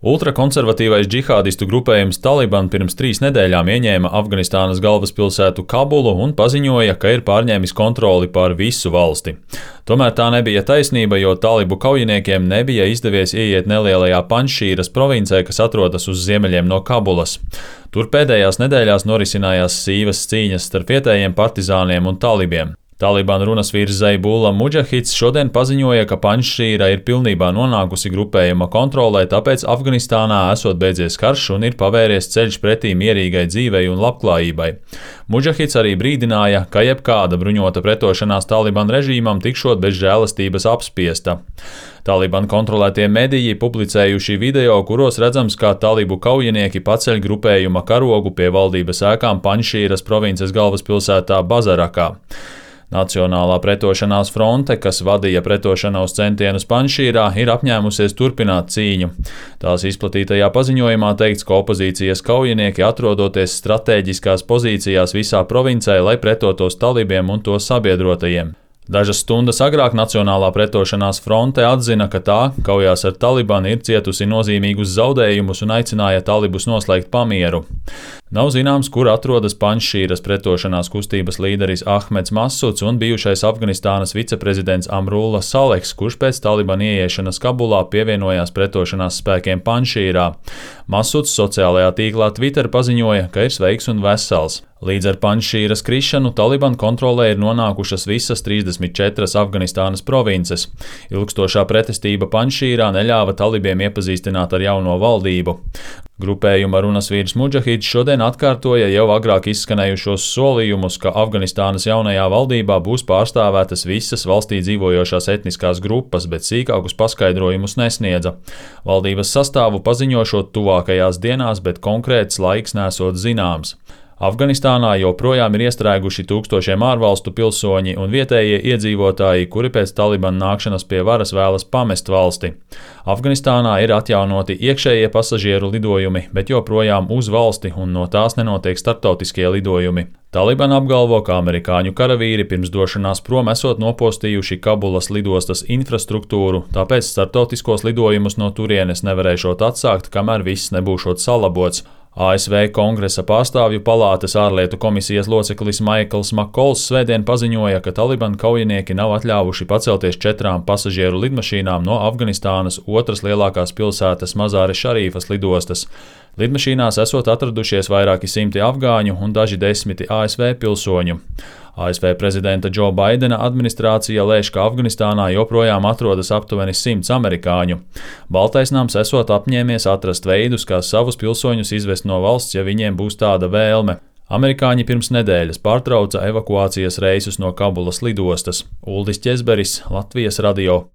Ultrakonservatīvais džihādistu grupējums Taliban pirms 3 nedēļām ieņēma Afganistānas galvaspilsētu Kabulu un paziņoja, ka ir pārņēmis kontroli pār visu valsti. Tomēr tā nebija taisnība, jo talibu kaujiniekiem nebija izdevies ieiet nelielajā Panšīras provincē, kas atrodas uz ziemeļiem no Kabulas. Tur pēdējās nedēļās norisinājās sīvas cīņas starp vietējiem partizāniem un talibiem. Taliban runas vīrs Zaibullah Mudžahids šodien paziņoja, ka Panšīra ir pilnībā nonākusi grupējuma kontrolē, tāpēc Afganistānā esot beidzies karš un ir pavēries ceļš pretī mierīgai dzīvei un labklājībai. Mudžahids arī brīdināja, ka jebkāda bruņota pretošanās Taliban režīmam tikšot bez žēlastības apspiesta. Taliban kontrolētie mediji publicējuši video, kuros redzams, kā talibu kaujinieki paceļ grupējuma karogu pie valdības ēkām Panšīras provinces galvaspilsētā Bazarakā. Nacionālā pretošanās fronte, kas vadīja pretošanos centienus Panšīrā, ir apņēmusies turpināt cīņu. Tās izplatītajā paziņojumā teikts, ka opozīcijas kaujinieki atrodoties stratēģiskās pozīcijās visā provincē, lai pretotos talibiem un to sabiedrotajiem. Dažas stundas agrāk Nacionālā pretošanās fronte atzina, ka tā kaujās ar Talibanu ir cietusi nozīmīgus zaudējumus un aicināja talibus noslēgt pamieru. Nav zināms, kur atrodas Panšīras pretošanās kustības līderis Ahmeds Masuds un bijušais Afganistānas viceprezidents Amrulla Saleks, kurš pēc Talibana ieiešanas Kabulā pievienojās pretošanās spēkiem Panšīrā. Masuds sociālajā tīklā Twitter paziņoja, ka ir sveiks un vesels. Līdz ar Panšīras krišanu Taliban kontrolē ir nonākušas visas 34 Afganistānas provinces. Ilgstošā pretestība Panšīrā neļāva talibiem iepazīstināt ar jauno valdību. Grupējuma runas vīrs Mudžahids šodien atkārtoja jau agrāk izskanējušos solījumus, ka Afganistānas jaunajā valdībā būs pārstāvētas visas valstī dzīvojošās etniskās grupas, bet sīkākus paskaidrojumus nesniedza. Valdības sastāvu paziņošot tuvākajās dienās, bet konkrēts laiks nesot zināms. Afganistānā joprojām ir iestrēguši tūkstošiem ārvalstu pilsoņi un vietējie iedzīvotāji, kuri pēc Talibana nākšanas pie varas vēlas pamest valsti. Afganistānā ir atjaunoti iekšējie pasažieru lidojumi, bet joprojām uz valsti un no tās nenotiek starptautiskie lidojumi. Taliban apgalvo, ka amerikāņu karavīri pirms došanās prom esot nopostījuši Kabulas lidostas infrastruktūru, tāpēc starptautiskos lidojumus no turienes nevarēšot atsākt, kamēr viss nebūšot salabots. ASV Kongresa pārstāvju palātes ārlietu komisijas loceklis Maikls Makols svētdien paziņoja, ka Taliban kaujinieki nav atļāvuši pacelties 4 pasažieru lidmašīnām no Afganistānas otras lielākās pilsētas Mazāre Šarīfas lidostas. Lidmašīnās esot atradušies vairāki simti afgāņu un daži desmiti ASV pilsoņu. ASV prezidenta Džo Baidena administrācija lēš, ka Afganistānā joprojām atrodas aptuveni 100 amerikāņu. Baltais nams esot apņēmies atrast veidus, kā savus pilsoņus izvest no valsts, ja viņiem būs tāda vēlme. Amerikāņi pirms nedēļas pārtrauca evakuācijas reisus no Kabulas lidostas. Uldis Ķezberis, Latvijas radio.